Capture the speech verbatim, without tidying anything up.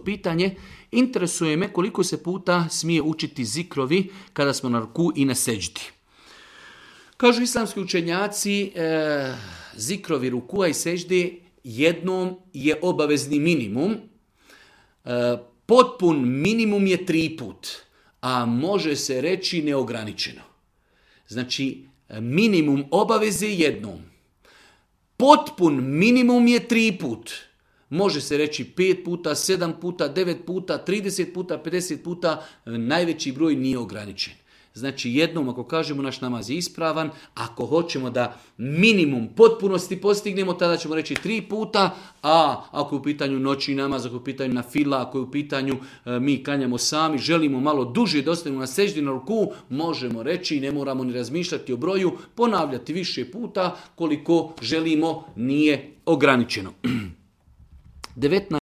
pitanje, interesuje me koliko se puta smije učiti zikrovi kada smo na ruku i na seđdi. Kažu islamski učenjaci, e, zikrovi rukua i seđde jednom je obavezni minimum. E, potpun minimum je tri put, a može se reći neograničeno. Znači, minimum obaveze jednom. Potpun minimum je tri put. Može se reći pet puta, sedam puta, devet puta, trideset puta, pedeset puta, najveći broj nije ograničen. Znači jednom ako kažemo naš namaz je ispravan, ako hoćemo da minimum potpunosti postignemo, tada ćemo reći tri puta, a ako je u pitanju noći namaz, ako je u pitanju na fila, ako je u pitanju e, mi klanjamo sami, želimo malo duže da ostanemo na seždi na ruku, možemo reći, ne moramo ni razmišljati o broju, ponavljati više puta koliko želimo, nije ograničeno. devetnaest